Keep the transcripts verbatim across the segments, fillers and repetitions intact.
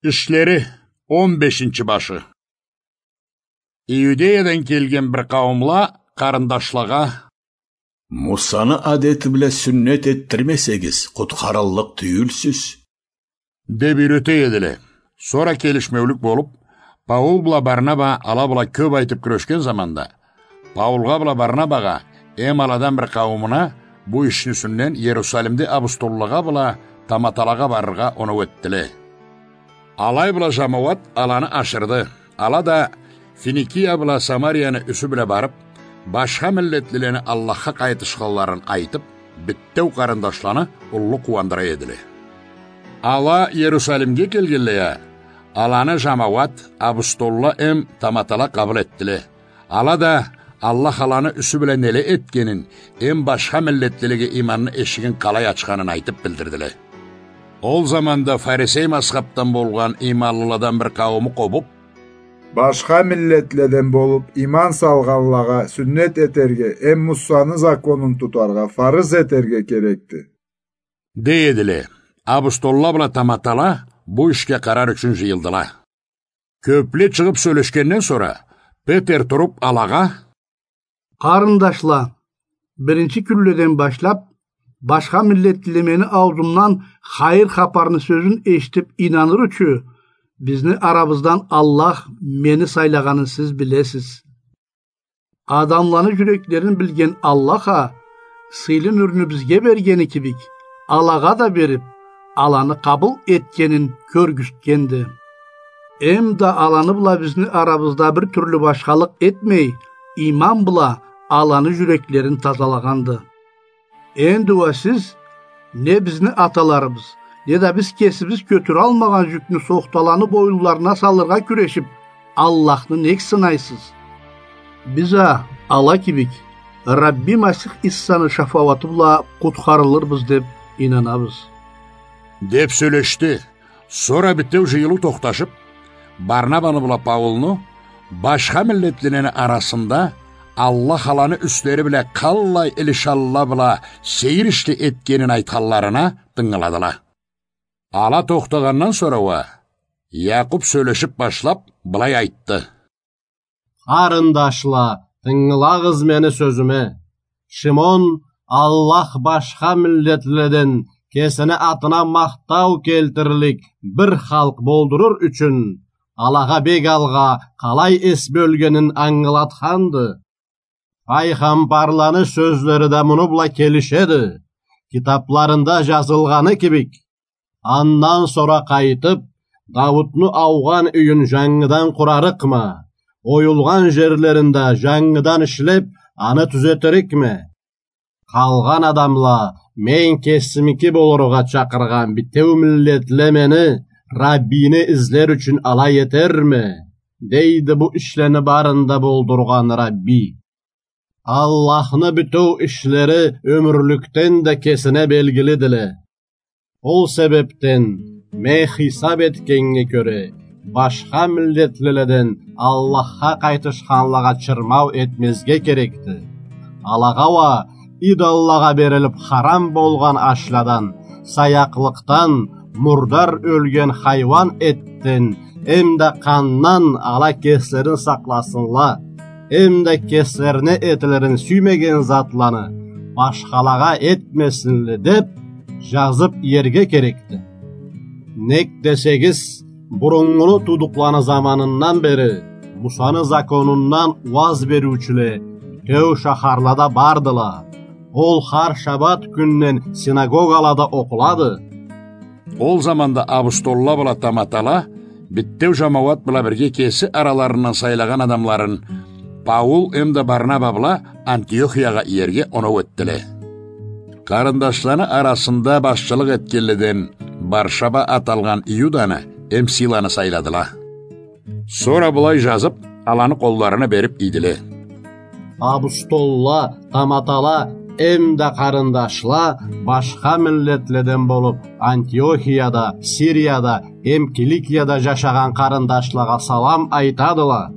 Ишлери, он бешинчи башы. Иудеядан келген бир къауумла къарындашлагъа: «Мусаны адети бла сюннет этдирмесегиз, къутхарыллыкъ тюйюлсюз», — деп юйрете эдиле. Сора келишмеулюк болуп, Паул бла Барнаба ала бла кёп айтып кюрешген заманда, Паулгъа бла Барнабагъа эм аладан бир къауумуна бу ишни юсюнден Иерусалимде апостоллагъа бла таматалагъа барыргъа оноу этдиле. Алай бла жамауат аланы ашырды. Ала да Финикия бла Самарияны юсю бла барып, башха миллетлилени Аллахха къайтышханларын айтып, битеу къарындашланы уллу къууандыра эдиле. Ала Иерусалимге келгенлей а, аланы жамауат, апостолла эм таматала къабыл этдиле. Ала да Аллах аланы юсю бла неле этгенин эм башха миллетлилеге иманны эшигин къалай ачханын айтып билдирдиле. Ол заманда фарисей мазхабдан болгъан иманлыладан бир къаууму къобуп: «Башха миллетледен болуп иман салгъанлагъа сюннет этерге эм Мусаны законун тутаргъа фарыз этерге керекди», — дей эдиле. Апостолла бла таматала бу ишге къарар ючюн жыйылдыла. Кёпле чыгъып сёлешгенден сора, Петер туруп алагъа: «Къарындашла, биринчи кюнледен башлап, башха миллетлиле мени аузумдан хайыр хапарны сёзюн эшитип инаныр ючюн, бизни арабыздан Аллах мени сайлагъанын сиз билесиз. Адамланы жюреклерин билген Аллах а сыйлы нюрню бизге бергени кибик, алагъа да берип, аланы къабыл этгенин кёргюзтгенди. Эм да аланы бла бизни арабызда бир тюрлю башхалыкъ этмей, иман бла аланы жюреклерин тазалагъанды. Энди уа сиз не бизни аталарыбыз, не да биз кесибиз кётюралмагъан жюкню сохталаны боюнларына салыргъа кюрешип, Аллахны нек сынайсыз? Биз а ала кибик Рабби Масих Иссаны шафауаты бла къутхарылырбыз деп инанабыз», — деп сёлешди. Сора битеу жыйылыу тохташып, Барнабаны бла Паулну башха миллетлилени арасында Аллах аланы юслери бла къаллай илишалла бла сейир ишни этгенин айтханларына тынгыладыла. Ала тохтагъандан сора уа Якъуб сёлешип башлап, былай айтды: «Къарындашла, тынгылагъыз мени сёзюме. Шимон Аллах башха миллетледен кесини атына махтау келтирлик бир халкъ болдуруур ючюн, алагъа бек алгъа къалай эс бёлгенин ангылатханды. Пайгъамбарланы сёзлери да муну бла келишеди. Китапларында жазылгъаны кибик: андан сора къайтып, Давутну аугъан юйюн жангыдан къурарыкъма, оюлгъан жерлерин да жангыдан ишлеп, аны тюзетирикме. Къалгъан адамла, мен кесимики болургъа чакъыргъан битеу миллетле мени, Раббини излер ючюн алай этерме, дейди бу ишлени барын да болдургъан Рабби. Аллахны бютеу ишлери ёмюрлюкден да кесине белгилидиле. Ол себепден, мен хисап этгеннге кёре, башха миллетлиледен Аллахха къайтышханлагъа чырмау этмезге керекди. Алагъа уа идоллагъа берилип харам болгъан ашладан, саякълыкъдан, мурдар ёлген хайуан этден, эмда къандан ала кеслерин сакъласынла, эмда кеслерине этилирин сюймеген затланы башхалагъа этмесинле деп, жазып иерге керекди. Нек десегиз, буруннгуну туудукъланы заманындан бери Мусаны законундан уаз бериучюле бютеу шахарлада бардыла. Ол хар шабат кюнден синагогалада окъулады. Ол заманда абустолла бла таматала бютеу жамауат бла бирге кеси араларындан сайлагъан адамларын Паул эмда Барнаба бла Антиохиягъа иерге оноу этдиле. Къарындашланы арасында башчылыкъ этгенледен Баршаба ат алгъан Иуданы эм Силаны сайладыла. Сора былай жазып, аланы къолларына берип ийдиле: Абустолла, таматала эмда къарындашла башха миллетледен болуп, Антиохияда, Сирияда эм Киликияда жашагъан къарындашлагъа салам айтадыла.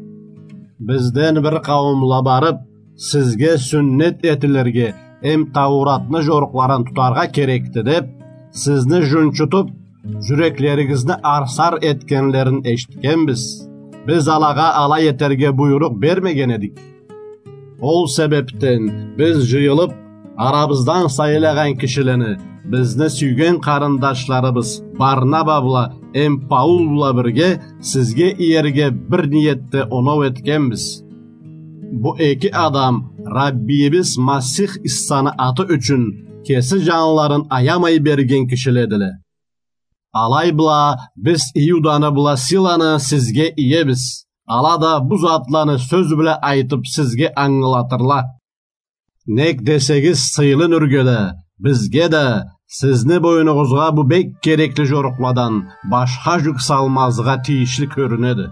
Бизден бир къауумла барып, сизге сюннет этилирге эм Тауратны жорукъларын тутаргъа керекди деп, сизни жунчутуп, Джюреклеригизни арсар этгенлерин эшитгенбиз. Биз алагъа алай этерге буйрукъ бермеген эдик. Ол себебден биз джыйылып, арабыздан сайлагъан кишилени, бизни сюйген къарындашларыбыз Барнаба бла эм Паул бла бирге сизге иерге бир ниетде оноу этгенбиз. Бу эки адам Раббийибиз Масих Иссаны аты ючюн кеси джанларын аямай берген кишиледиле. Алай бла биз Иуданы бла Силаны сизге иебиз. Ала да бу затланы сёз бла айтып сизге ангылатырла. Нек десегиз, сыйлы Нюрге да, бизге да сизни бойнугъузгъа бу бек керекли джорукъладан башха джюк салмазгъа тийишли кёрюнеди.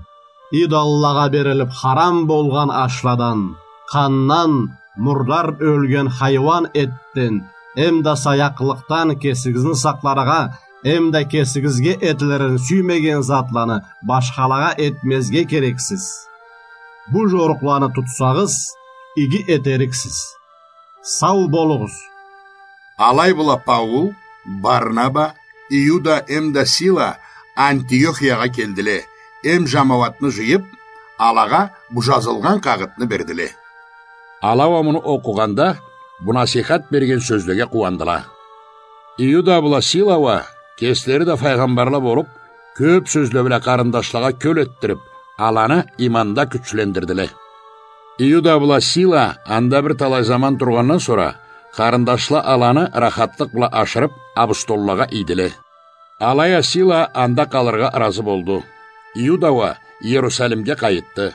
Идоллагъа берилип харам болгъан ашладан, къандан, мурдар ёлген хайуан этден, эм да саякълыкъдан кесигизни сакъларгъа, эм да кесигизге этлерин сюймеген затланы башхалагъа этмезге керексиз. Бу джорукъланы тутсагъыз, иги этериксиз. Сау болугъуз. Алай бла Паул, Барнаба, Иуда эм да Сила Антиохиягъа келдиле, эм джамауатны джыйып, алагъа бу джазылгъан къагъытны бердиле. Ала уа муну окъугъанда, бу насийхат берген сёзлеге къууандыла. Иуда бла Сила уа кеслери да файгъамбарла болуп, кёп сёзле бла къарындашлагъа кёл этдирип, аланы иманда кючлендирдиле. Иуда бла Сила анда бир талай заман тургъандан сора, къарындашла аланы рахатлыкъ бла ашырып, абустоллагъа ийдиле. Алай а Сила анда къалыргъа ыразы болду. Иуда уа Иерусалимге къайытды.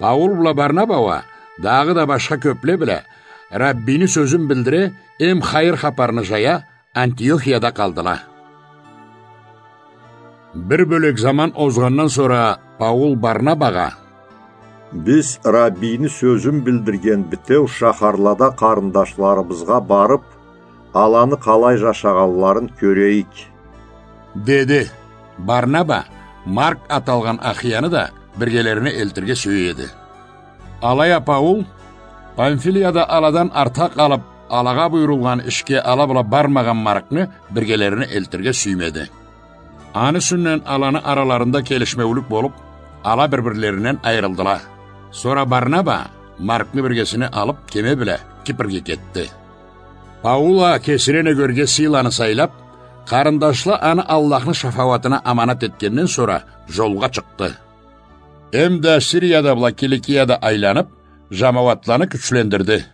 Паул бла Барнаба уа дагъыда башха кёпле бла Раббийни сёзюн билдире эм хайыр хапарны джая Антиохияда къалдыла. Бир бёлек заман озгъандан сора Паул Барнабагъа: «Биз Раббийни сёзюн билдирген битеу шахарлада къарындашларыбызгъа барып, аланы къалай джашагъанларын кёрейик», — деди. Барнаба Марк аталгъан ахияны да биргелерине элтирге сюе эди. Алай а Паул Памфилияда аладан артха къалып, алагъа буюрулгъан ишге ала бла бармагъан Маркны биргелерине элтирге сюймеди. Аны юсюнден аланы араларында келишмеулюк болуп, ала бир-бирлеринден айырылдыла. Сора Барнаба Маркны биргесине алып, кеме бла Кипрге кетди. Паул а кесине нёгерге Силаны сайлап, къарындашла аны Аллахны шафауатына аманат этгенден сора, джолгъа чыкъды. Эм да Сирияда бла Киликияда айланып, джамауатланы кючлендирди.